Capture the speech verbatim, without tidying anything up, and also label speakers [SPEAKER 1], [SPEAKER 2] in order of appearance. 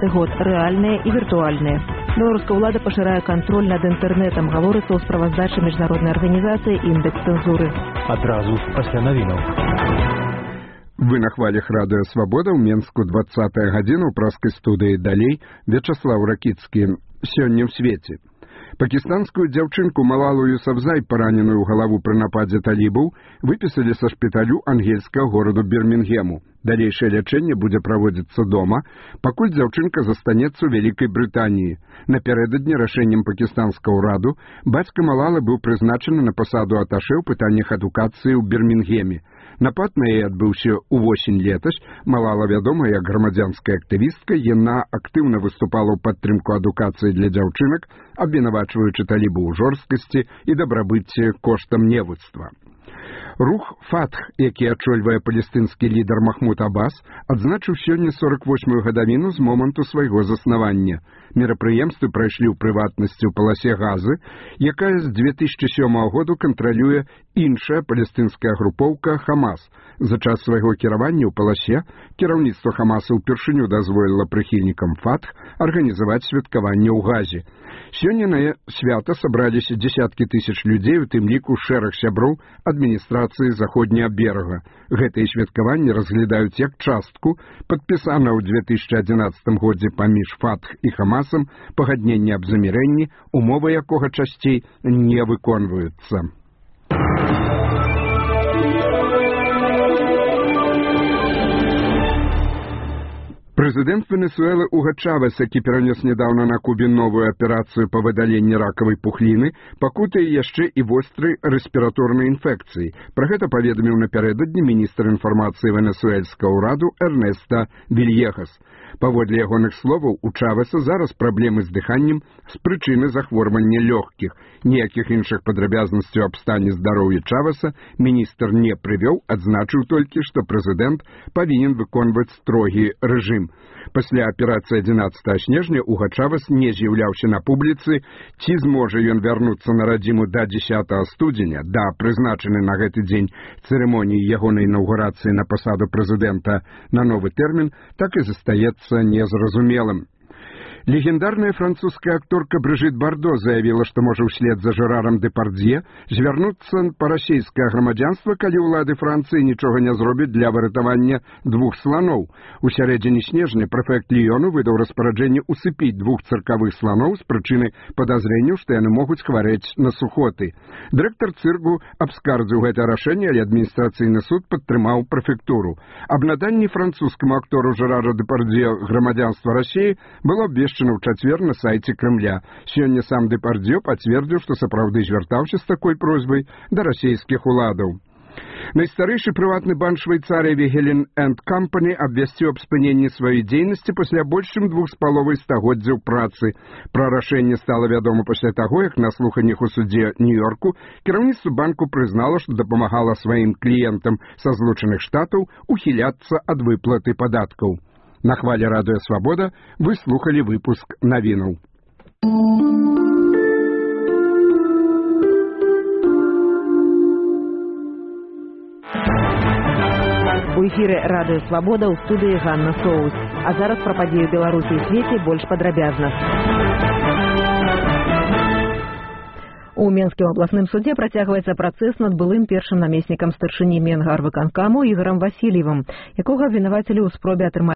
[SPEAKER 1] двадцаты год, рэальныя і віртуальныя. Беларуская ўлада пашырае кантроль над інтэрнэтам, гаворыцца ў справаздачы міжнароднай арганізацыі «Індэкс цэнзуры».
[SPEAKER 2] Адразу пасля навінаў.
[SPEAKER 3] Вы на хвалях радыё «Свабода» ў Менску двадцатая гадзіна ў праскай студыі «Далей» Вячаслаў Ракіцкі. Сёння ў свеце. Пакістанскую дзяўчынку Малалу Юсафзай, параненую ў галаву пры нападзе талібаў, выпісалі са шпіталю ангельскага гораду Бірмінгему. Далейшае лячэнне будзе праводзіцца дома, пакуль дзяўчынка застанецца ў Вялікай Брытаніі. Напярэдадні рашэннем пакістанскага ўраду бацька Малалы быў прызначаны на пасаду аташэ ў пытаннях адукацыі ў Бірмінгеме. Напад на яе адбыўся ўвосень летась. Малала вядома як грамадзянская актывістка, яна актыўна выступала ў падтрымку адукацыі для дзяўчынак, абвінавачваючы талібаў у жорсткасці і дабрабыцці коштам невуцтва. Рух «Фатх», які ачольвае палестынскі лідар Махмуд Аббас, адзначыў сёння сорак восьмую гадавіну з моманту свайго заснавання. Мерапрыемствы прайшлі ў прыватнасці ў паласе Газы, якая з дзве тысячы сёмага году кантралюе іншая палестынская групоўка «Хамас». За час свайго кіравання ў паласе кіраўніцтва Хамаса ўпершыню дазволіла прыхільнікам «Фатх» арганізаваць святкаванне ў Газе. Сёння на свята сабраліся дзесяткі тысяч людзей, у тым ліку шэраг сяброў адміністрацыі заходняга берага. Гэтыя святкаванні разглядаюць як частку падпісана ў дзве тысячы адзінаццатым годзе паміж «Фатх» і «Хамасам» пагаднення аб замірэнні, умовы якога часцей не выконваюцца. Прэзідэнт Венесуэлы Уго Чавес, які перанес нядаўна на Кубе новую аперацыю па выдаленні ракавай пухліны, пакутае яшчэ і вострай рэспіраторнай інфекцыі. Пра гэта паведаміў напярэдадні міністр інфармацыі венесуэльскага ўраду Эрнеста Вільехас. Паводле ягоных словаў, у Чавеса зараз праблемы з дыханнем з прычыны захворвання лёгкіх. Ніякіх іншых падрабязнасцяў аб стане здароўя Чавеса міністр не прывёў, адзначыў толькі, што прэзідэнт павінен выконваць строгі рэжым. Пасля аперацыі адзінаццатага снежня Уго Чавес не з'яўляўся на публіцы, ці зможа ён вярнуцца на радзіму да дзесятага студзеня, да прызначанай на гэты дзень цырымоніі ягонай інаўгурацыі на пасаду прэзідэнта на новы тэрмін, так і застаецца незразумелым. Легендарная французская акторка Брыжыт Бардо заявіла, што можа ўслед за Жерарам Дэпардзье звярнуцца па расійскае грамадзянства, калі ўлады Францыі нічога не зробяць для выратавання двух сланоў. У сярэдзіне снежня прэфект Ліёну выдаў распараджэнне усыпіць двух цыркавых сланоў з прычыны падазрэнняў, што яны могуць хварэць на сухоты. Дырэктар цырку абскардзіў гэта рашэнне, але адміністрацыйны суд падтрымаў прэфектуру. Аб наданні французскаму актору Жерара Дэпардзье грамадзянства Расіі было абвешчана ў чацвер на сайце Крэмля. Сёння сам Дэпардзье пацвердзіў, што сапраўды звяртаўся з такой просьбай да расійскіх уладаў. Найстарэйшы прыватны банк Швейцарыі Вегелен энд Кампані абвясціў аб спыненні сваёй дзейнасці пасля больш чым двух з паловай стагоддзяў працы. Пра рашэнне стала вядома пасля таго, як на слуханнях у судзе Нью-Йорку кіраўніцтва банку прызнала, што дапамагала сваім кліентам са Злучаных Штатаў ухіляцца ад выплаты падаткаў. На хвале радыё «Свабода» вы слухалі выпуск навінаў.
[SPEAKER 1] У эфіры радыё «Свабода» ў студыі Ганна Соус. А зараз пра падзеі Беларусі і свеце больш падрабязна. У Менскім абласным судзе працягваецца працэс над былым першым намеснікам старшыні Менгарвыканкаму Ігорам Васильевым, якога абвінавацілі ў спробе атрымаць